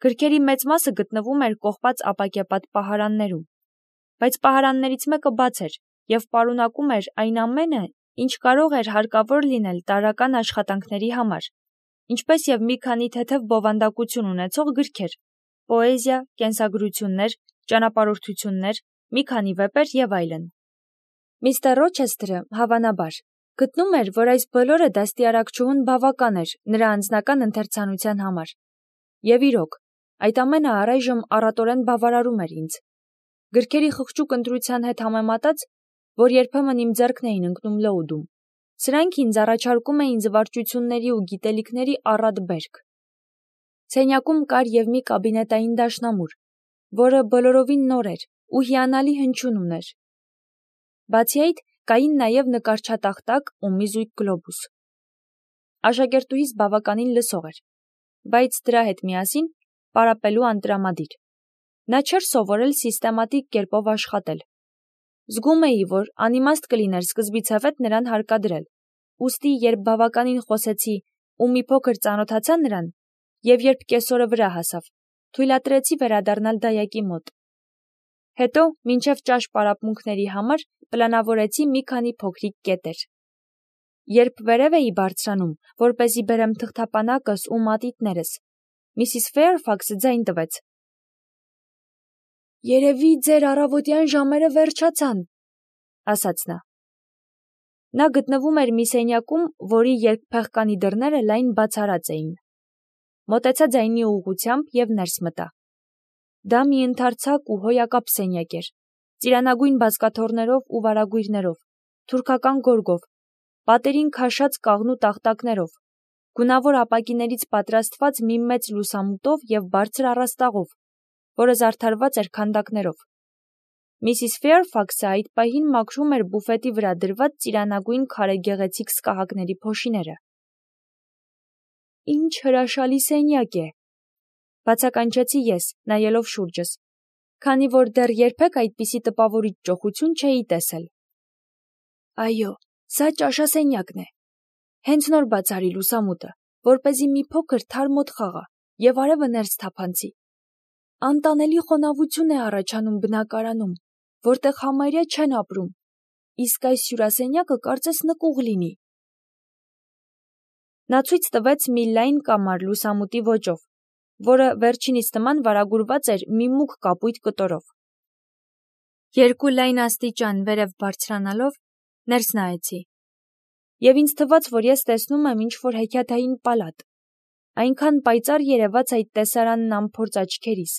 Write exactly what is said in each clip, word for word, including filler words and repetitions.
Գրքերի մեծ մասը գտնվում էր կողպած ապակեպատ պահարաններում, բայց պահարաններից մեկը բաց էր և պարունակում էր այն ամենը, ինչ կարող էր հարկավոր լինել տարրական աշխատանքների համար, ինչպես և մի քանի թեթև բովանդակություն ունեցող գրքեր, պոեզիա, կենսագրություններ, ճանապարհորդություններ, մի քանի վեպեր և այլն։ Միստր Ռոչեսթերը, հավանաբար, գտնում էր, որ այս բոլորը դաստիարակչուհուն բավական էր նրա անձնական ընթերցանության համար։ Եվ իրոք, այդ ամենը առայժմ առատորեն բավարարում էր ինձ։ Գրքերի խղճուկ ընտրության հետ համեմատած, որ երբեմն իմ ձեռքն էին ընկնում լոուդում, սրանք ինձ առաջարկում էին զվարճությունների ու գիտելիքների առատ բերք։ Սենյակում կար և մի կաբինետային դաշնամուր, որը բոլորովին նոր էր ու հիանալի հնչյուն ուներ։ Բացի այդ, կային նաև նկարչատախտակ ու մի զույգ գլոբուս։ Աշակերտուհիս բավականին լսող էր, բայց դրա հետ միասին պարապելու անտրամադիր։ Նա չէր սովորել սիստեմատիկ կերպով աշխատել։ Զգում էի, որ անիմաստ կլիներ սկզբիցևեթ նրան հարկադրել, ուստի երբ բավականին խոսեցի ու մի փոքր ծանոթացա նրան, և երբ կեսօրը վրա հասավ, թույլատրեցի վերադառնալ դայակի մոտ։ Հետո, մինչև ճաշ պարապմունքների համար պլանավորեցի մի քանի փոքրիկ կետեր։ Երբ վերև էի բարձրանում, որպեսզի բերեմ թղթապանակս ու մատիտներս, Միսիս Ֆեյրֆաքսը ձայն տվեց. «Երևի ձեր առավոտյան ժամերը վերջացան», ասաց նա։ Նա գտնվում էր մի սենյակում, որի երկփեղկանի դռները լայն բացառած էին։ Մոտեցա ձայնի ուղղությամբ և ներս մտա։ Դա մի ընդարձակ ու հոյակապ սենյակ էր, ծիրանագույն բազկաթոռներով ու վարագույրներով, թուրքական գորգով, պատերին քաշած կաղնու տախտակներով, գունավոր ապակիներից պատրաստված մի մեծ լուսամուտով և բարձր առաստաղով, որը զարդարված էր քանդակներով։ Միսիս Ֆեյրֆաքսը այդ պահին մաքրում էր բուֆետի վրա դրված ծիրանագույն քարե գեղեցիկ սկահակների փոշիները։ «Ինչ հրաշալի սենյակ է», բացականչեցի ես, նայելով շուրջս, քանի որ դեռ երբեք այդպիսի տպավորիչ ճոխություն չէի տեսել։ «Այո, սա ճաշասենյակն է։ Հենց նոր բաց արի լուսամուտը, որպեսզի մի փոքր թարմ օդ խաղա և արևը ներս թափանցի։ Անտանելի խոնավություն է առաջանում բնակարանում, որտեղ համարյա չեն ապրում, իսկ այս հյուրասենյակը կարծես նկուղ լինի»։ Նա ցույց տվեց մի լայն կամար լուսամուտի ոճով, որը վերջինիս նման վարագուրված էր մի մուգ կապույտ կտորով։ Երկու լայն աստիճան վերև բարձրանալով ներս նայեցի, և ինձ թվաց, որ ես տեսնում եմ ինչ-որ հեքիաթային պալատ, այնքան պայծառ երևաց այդ տեսարանն անփորձ աչքերիս։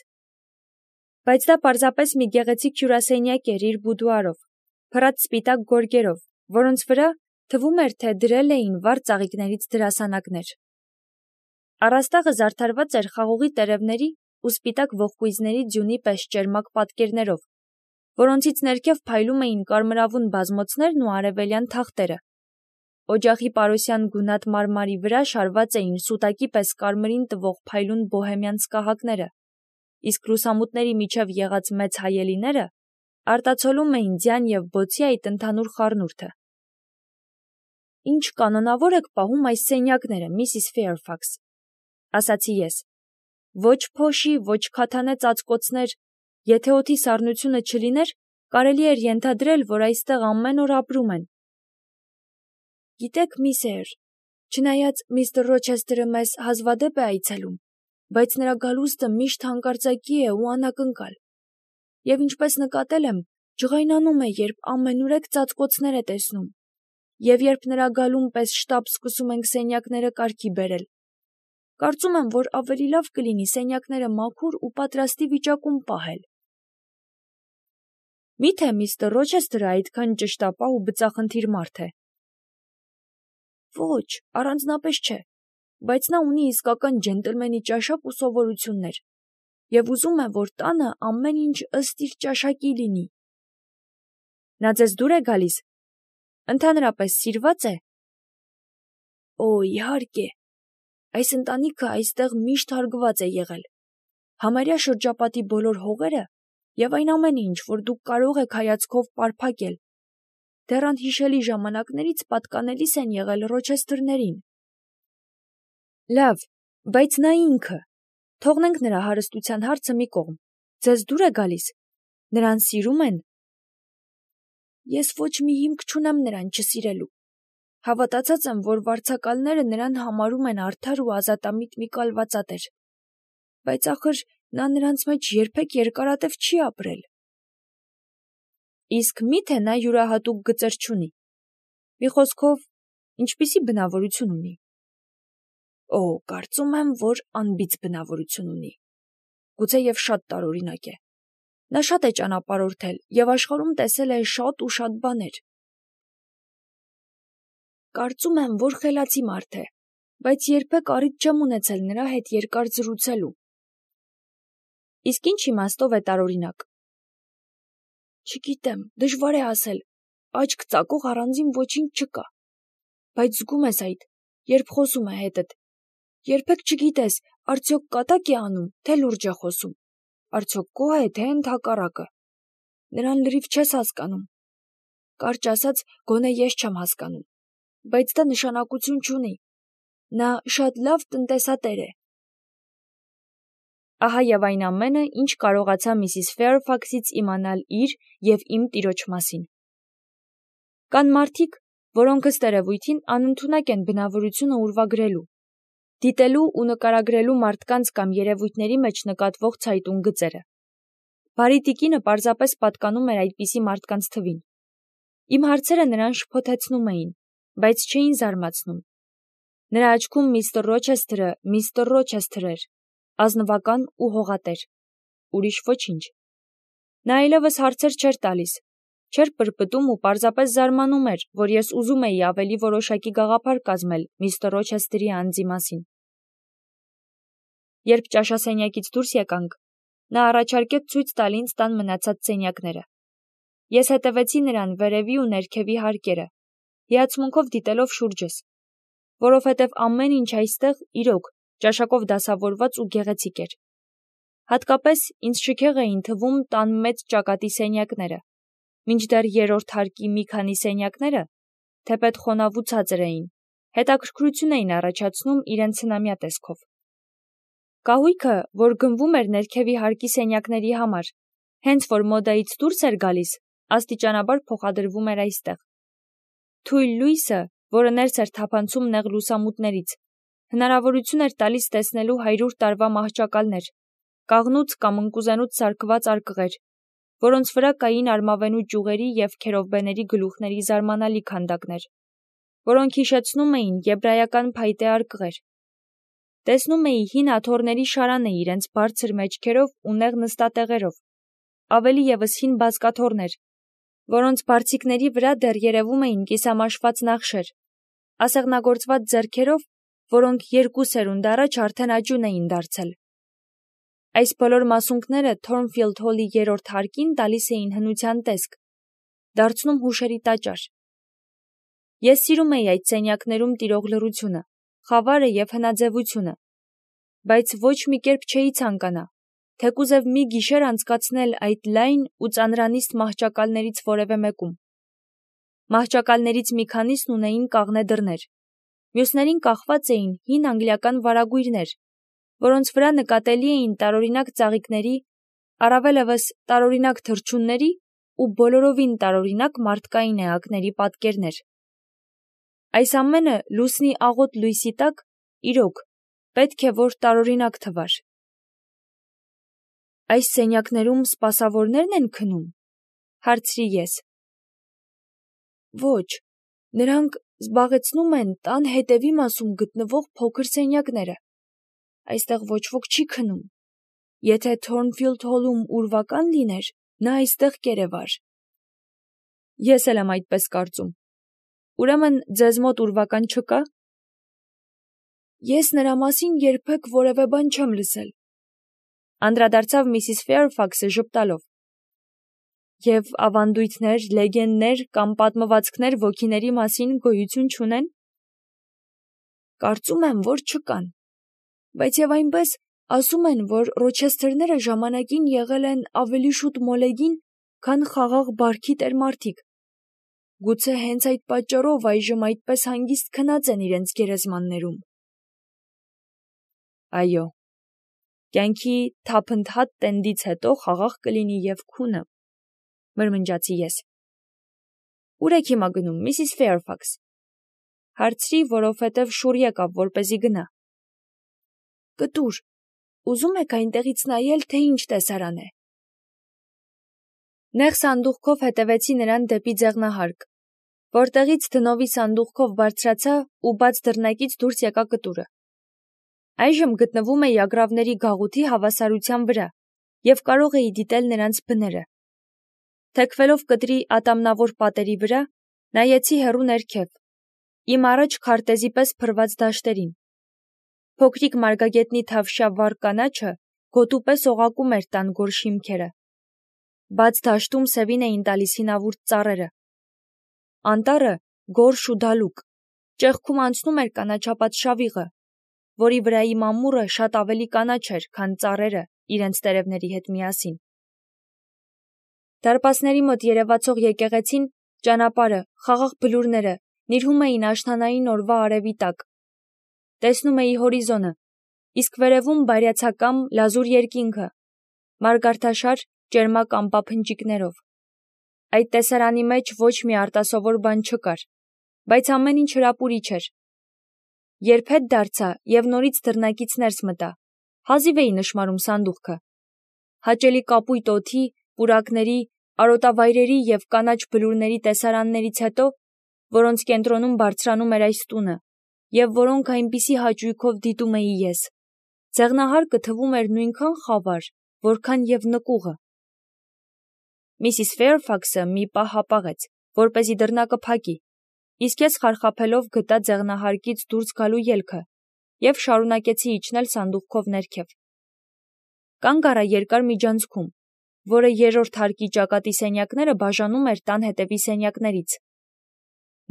Բայց դա պարզապես մի գեղեցիկ հյուրասենյակ էր իր բուդուարով, փռած սպիտակ գորգերով, որոնց վրա, թվում էր, թե դրել էին վառ ծաղիկներից դրասանակներ։ Առաստաղը զարդարված էր խաղողի տերևների ու սպիտակ ողկույզների ձյունի պես ճերմակ պատկերներով, որոնցից ներքև փայլում էին կարմրավուն բազմոցներն ու արևելյան թախտերը։ Օջախի պարոսյան գունատ մարմարի վրա շարված էին սուտակի պես կարմրին տվող փայլուն բոհեմյան սկահակները, իսկ լուսամուտների միջև եղած մեծ հայելիները արտացոլում էին ձյան և բոցի այդ ընդհանուր խառնուրդը։ «Ինչ կանոնավոր եք պահում այս սենյակները, Միսիս Ֆեյրֆաքս», ասացի ես։ «Ոչ փոշի, ոչ քաթանե ծածկոցներ, եթե օդի սառնությունը չլիներ, կարելի էր ենթադրել, որ այստեղ ամեն օր ապրում են»։ «Գիտեք, միս Էյր, չնայած միստր Ռոչեսթերը մեզ հազվադեպ է այցելում, բայց նրա գալուստը միշտ հանկարծակի է ու անակնկալ, և ինչպես նկատել եմ, ջղայնանում է, երբ ամենուրեք ծածկոցներ է տեսնում, և երբ նրա գալուն պես շտապ սկսում ենք սենյակները կարգի բերել։ Կարծում եմ, որ ավելի լավ կլինի սենյակները մաքուր ու պատրաստի վիճակում պահել»։ «Մի՞թե միստր Ռոչեսթերը այդքան ճշտապահ ու բծախնդիր մարդ է»։ «Ոչ, առանձնապես չէ, բայց նա ունի իսկական ջենտլմենի ճաշակ ու սովորություններ, և ուզում է, որ տանը ամեն ինչ ըստ իր ճաշակի լինի»։ «Նա ձեզ դուր է գալիս։ Ընդհանրապես սիրվա՞ծ է»։ «Օ, իհարկե, այս ընտանիքը այստեղ միշտ հարգված է եղել։ Համարյա շրջապատի բոլոր հողերը և այն ամենը, ինչ որ դուք կարող եք հայացքով պարփակել, դեռ անհիշելի ժամանակներից պատկանելիս են եղել Ռոչեսթերներին»։ «Լավ, բայց նա ինքը, Թողնենք նրա հարստության հարցը մի կողմ։ Ձեզ դուր է գալիս։ Նրան սիրում են։ Ես ոչ մի հիմք չունեմ նրան չսիրելու։ Հավատացած եմ, որ վարձակալները նրան համարում են արդար ու ազատամիտ մի կալվածատեր։ Բայց ախր նա նրանց մեջ երբեք երկարատև չի ապրել։ Իսկ մի՞թե նա յուրահատուկ գծեր չունի։ Մի խոսքով, ինչպիսի բնավորություն ունի։ Օ, կարծում եմ, որ անբիծ բնավորություն ունի։ Գուցեև շատ տարօրինակ է։ Նա շատ է ճանապարհորդել եւ աշխարհում տեսել է շատ ու շատ բաներ։ Կարծում եմ, որ խելացի մարդ է, բայց երբեք առիթ չեմ ունեցել նրա հետ երկար զրուցելու։ Իսկ ինչ իմաստով է տարօրինակ։ Չգիտեմ, դժվար է ասել, աչք ծակող առանձին ոչինչ չկա, բայց զգում ես այդ, երբ խոսում է հետդ, երբեք չգիտես, արդյոք կատակ է անում, թե լուրջ է խոսում, արդյոք գոհ է, թե ընդհակառակը, նրան լրիվ չես հասկանում, կարճ ասած, գոնե ես չեմ հասկանում, բայց դա նշանակություն չունի, նա շատ լավ տնտեսատեր է։ Ահա եւ այն ամենը, ինչ կարողացա միսիս Ֆեյրֆաքսից իմանալ իր եւ իմ տիրոջ մասին։ Կան մարդիկ, որոնք ըստ երևույթին անընդունակ են բնավորությունը ուրվագրելու, դիտելու ու նկարագրելու մարդկանց կամ երևույթների մեջ նկատվող ցայտուն գծերը։ Բարի տիկինը պարզապես պատկանում էր այդպիսի մարդկանց թվին։ Իմ հարցերը նրան շփոթեցնում էին, բայց չէին զարմացնում։ Նրա աչքում միստր Ռոչեսթերը միստր Ռոչեսթեր էր, ազնվական ու հողատեր, ուրիշ ոչինչ։ Նա այլևս հարցեր չէր տալիս, չէր պրպտում ու պարզապես զարմանում էր, որ ես ուզում էի ավելի որոշակի գաղափար կազմել միստր Ռոչեսթերի անձի մասին։ Երբ ճաշասենյակից դուրս եկանք, նա առաջարկեց ցույց տալ ինձ տան մնացած սենյակները։ Ես հետևեցի նրան վերևի ու ներքևի հարկերը, հիացմունքով դիտելով շուրջս, որովհետև ամեն ինչ այստեղ իրոք ճաշակով դասավորված ու գեղեցիկ էր։ Հատկապես ինձ շքեղ էին թվում տան մեծ ճակատի սենյակները, մինչդեռ երրորդ հարկի մի քանի սենյակները, թեպետ խոնավ ու ցածր էին, հետաքրքրություն էին առաջացնում իրենց հնամյա տեսքով։ Կահույքը, որ գնվում էր ներքևի հարկի սենյակների համար, հենց որ մոդայից դուրս էր գալիս, աստիճանաբար փոխադրվում էր այստեղ։ Թույլ լույսը, որը ներս էր թափանցում նեղ լուսամուտներից, հնարավորություն էր տալիս տեսնելու հարյուր տարվա մահճակալներ, կաղնուց կամ ընկուզենուց սարքված արկղեր, որոնց վրա կային արմավենու ճյուղերի և քերովբեների գլուխների զարմանալի քանդակներ, որոնք հիշեցնում էին եբրայական փայտե արկղեր։ Տեսնում էի հին աթոռների շարանը իրենց բարձր մեջքերով ու նեղ նստատեղերով, ավելի ևս հին բազկաթոռներ, որոնց բարձիկների վրա դեռ երևում էին կիսամաշված նախշեր, ասեղնագործված ձեռքերով, որոնք երկու սերունդ առաջ արդեն աճուն էին դարձել։ Այս բոլոր մասունքները Թորնֆիլդ Հոլի երրորդ հարկին տալիս էին հնության տեսք, դարձնում հուշերի տաճար։ Ես սիրում էի այդ սենյակներում տիրող լռությունը, խավարը և հնաձևությունը, բայց ոչ մի կերպ չէի ցանկանա, թեկուզև մի գիշեր անցկացնել այդ լայն ու ծանրանիստ մահճակալներից որևէ մեկում։ Մահճակալներից մի քանիսն ունեին կաղնե դռներ, մյուսներին կախված էին հին անգլիական վարագույրներ, որոնց վրա նկատելի էին տարօրինակ ծաղիկների, առավելևս տարօրինակ թռչունների ու բոլորովին տարօրինակ մարդկային էակների պատկերներ։ Այս ամենը լուսնի աղոտ լույսի տակ, իրոք, պետք է որ տարօրինակ թվար։ Այս սենյակներում սպասավորնե՞րն են քնում, հարցրի ես։ Ոչ, նրանք զբաղեցնում են տան հետևի մասում գտնվող փոքր սենյակները։ Այստեղ ոչ ոք չի քնում։ Եթե Թորնֆիլդ Հոլում ուրվական լիներ, նա այստեղ կերևար։ Ես էլ եմ այդպես կարծում։ Ուրեմն ձեզ մոտ ուրվական չկա։ Ես նրա մասին երբեք որևէ բան չեմ լսել։ Անդրադարձավ միսիս Ֆեյրֆաքսը ժպտալով։ Եվ ավանդույթներ, լեգենդներ կամ պատմվածքներ ոգիների մասին գոյություն չունեն։ Կարծում եմ, որ չկան, բայց եւ այնպես ասում են, որ Ռոչեսթերները ժամանակին եղել են ավելի շուտ մոլեգին, քան խաղաղ բարքի տերմարդիկ։ Գուցե հենց այդ պատճառով այժմ այդպես հանգիստ քնած են իրենց գերեզմաններում։ Այո, Կյանքի թափընթաց տենդից հետո խաղաղ կլինի և քունը, մրմնջացի ես։ Ուր եք հիմա գնում, Միսիս Ֆեյրֆաքս։ Հարցրի, որովհետև շուռ եկավ, որպեսզի գնա։ Կտուր, ուզում եք այնտեղից նայել, թե ինչ տեսարան է։ Նեղ սանդուղքով հետևեցի նրան դեպի ձեղնահարկ, որտեղից դնովի սանդուղքով բարձրացա ու բաց դռնակից դուրս եկա կտուրը։ Այժմ գտնվում էի ագռավների գաղութի հավասարության վրա և կարող էի դիտել նրանց բները։ Թեքվելով կտրի ատամնավոր պատերի վրա, նայեցի հեռու ներքև, իմ առաջ քարտեզի պես փռված դաշտերին։ Փոքրիկ մարգագետնի թավշյա վառ կանաչը գոտու պես օղակում էր տան գոր շիմքերը։ Բաց դաշտում սևին էին տալիս հինավուրց ծառերը։ Անտառը գորշ ու դալուկ, ճեղքում անցնում էր կանաչապատ շավիղը, որի վրայի մամուռը շատ ավելի կանաչ էր, քան ծառերը իրենց տերևների հետ միասին։ Դարպասների մոտ երևացող եկեղեցին, ճանապարհը, խաղաղ բլուրները նիրհում էին աշնանային օրվա արևի տակ։ Տեսնում էի հորիզոնը, իսկ վերևում բայրացակամ լազուր երկինքը, մարգարտաշար ճերմակ ամպափնջիկներով։ Այդ տեսարանի մեջ ոչ մի արտասովոր բան չկար, բայց ամեն ինչ հրապուրիչ էր։ Երբ հետ դարձա և նորից դռնակից ներս մտա, հազիվ էի նշմարում սանդուղքը։ Հաճելի կապույտ օդի, պուրակների, արոտավայրերի և կանաչ բլուրների տեսարաններից հետո, որոնց կենտրոնում բարձրանում էր այս տունը, և որոնք այնպիսի հաճույքով դիտում էի ես, ձեղնահարկը թվում էր նույնքան խավար, որքան և նկուղը։ Միսիս Ֆեյրֆաքսը մի պահ հապաղեց, որպեսզի դռնակը փակի, իսկ ես խարխափելով գտա ձեղնահարկից դուրս գալու ելքը և շարունակեցի իջնել սանդուղքով ներքև։ Կանգ առա երկար միջանցքում, որը երրորդ հարկի ճակատի սենյակները բաժանում էր տան հետևի սենյակներից։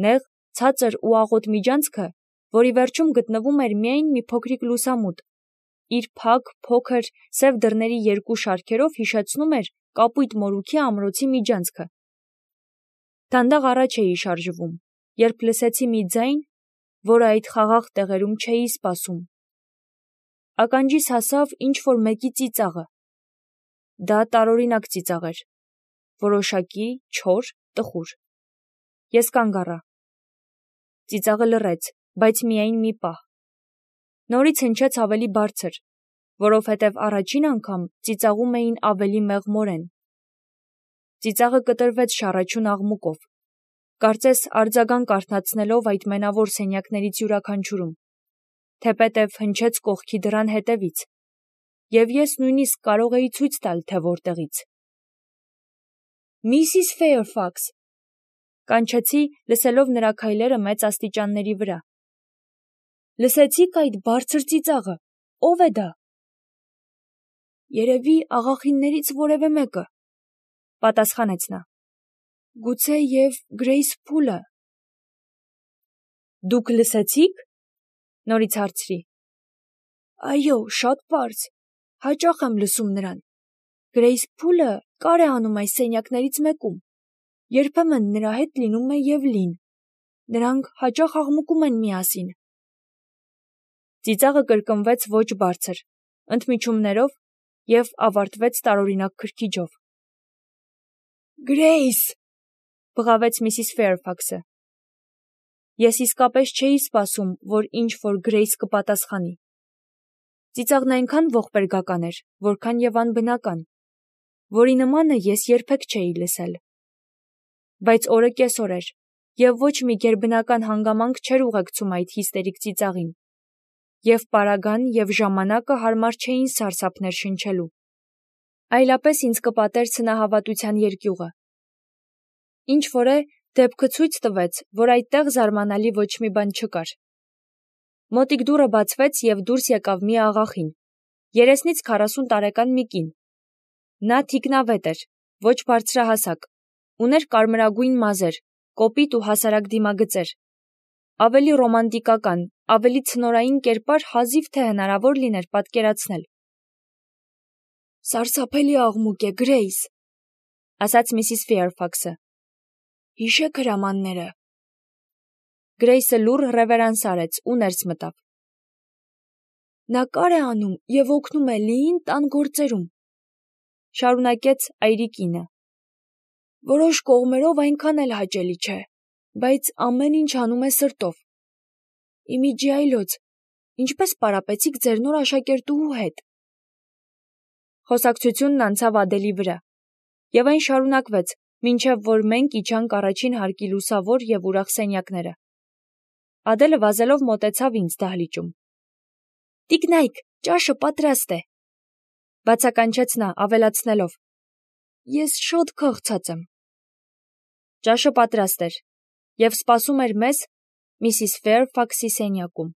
Նեղ, ցածր ու աղոտ միջանցքը, որի վերջում գտնվում էր միայն մի փոքրիկ լուսամուտ, իր փակ, փոքր, սև դռների երկու շարքերով հիշեցնում էր կապույտ մորուքի ամրոցի միջանցքը։ Դանդաղ առաջ էի շարժվում, երբ լսեցի մի ձայն, որը այդ խաղաղ տեղերում չէի սպասում։ Ականջիս հասավ ինչ-որ մեկի ծիծաղը։ Դա տարօրինակ ծիծաղ էր, որոշակի, չոր, տխուր։ Ես կանգ առա։ Ծիծաղը լռեց, բայց միայն մի պահ։ Նորից հնչեց ավելի բարձր, որովհետև առաջին անգամ ծիծաղում էին ավելի մեղմորեն։ Ծիծաղը կտրվեց շառաչուն աղմուկով, կարծես արձագանք արթնացնելով այդ մենավոր սենյակներից յուրաքանչյուրում, թեպետև հնչեց կողքի դռան հետևից, և ես նույնիսկ կարող էի ցույց տալ, թե որտեղից։ Միսիս Ֆեյրֆաքս, կանչեցի, լսելով նրա քայլերը մեծ աստիճանների վրա։ Լսեցի՞ք այդ բարձր ծիծաղը, ո՞վ է դա։ Երևի աղախիններից որևէ մեկը, պատասխանեց նա։ Գուցե և Գրեյս Փուլը։ Դուք լսեցի՞ք, նորից հարցրի։ Այո, շատ պարզ, հաճախ եմ լսում նրան։ Գրեյս Փուլը կար է անում այս սենյակներից մեկում, երբեմն նրա հետ լինում է և Լին, նրանք հաճախ աղմկում են միասին։ Ծիծաղը կրկնվեց ոչ բարձր, ընդմիջումներով և ավարտվեց տարօրինակ քրքիջով։ Գրեյս, բղավեց Միսիս Ֆեյրֆաքսը։ Ես իսկապես չէի սպասում, որ ինչ-որ Գրեյս կպատասխանի։ Ծիծաղն այնքան ողբերգական էր, որքան և անբնական, որի նմանը ես երբեք չէի լսել։ Բայց օրը կեսօր էր, և ոչ մի գերբնական հանգամանք չէր ուղեկցում այդ հիստերիկ ծիծաղին, և պարագան և ժամանակը հարմար չէին սարսափներ շնչելու։ Այլապես ինձ կպատեր ցնահավատության երկյուղը։ Ինչ-որ է, դեպքը ցույց տվեց, որ այդտեղ զարմանալի ոչ մի բան չկար։ Մոտիկ դուռը բացվեց և դուրս եկավ մի աղախին, երեսնից քառասուն տարեկան մի կին։ Նա թիկնավետ էր, ոչ բարձրահասակ, ուներ կարմրագույն մազեր, կոպիտ ու հասարակ դիմագծեր։ Ավելի ռոմանտիկական, ավելի ցնորային կերպար հազիվ թե հնարավոր լիներ պատկերացնել։ Սարսափելի աղմուկ է, Գրեյս, ասաց Միսիս Ֆեյրֆաքսը։ Հիշեք հրամանները։ Գրեյսը լուռ ռևերանս արեց ու ներս մտավ։ Նա կար է անում և օգնում է լիին տան գործերում, շարունակեց այրիկինը։ Որոշ կողմերով այնքան էլ հաճելի չէ, բայց ամեն ինչ անում է սրտով։ Իմիջի այլոց, ինչպես պարապեցիք ձեր նոր աշակերտուհու հետ։ Խոսակցությունն անցավ Ադելի վրա, և այն շարունակվեց, մինչև որ մենք իջանք առաջին հարկի լուսավոր և ուրախ սենյակները։ Ադելը վազելով մոտեցավ ինձ դահլիճում։ Տիկնայք, ճաշը պատրաստ է, բացականչեց նա, ավելացնելով. Ես շատ քաղցած եմ։ Ճաշը պատրաստ էր և սպասում էր մեզ Միսիս Ֆեյրֆաքսի սենյակում։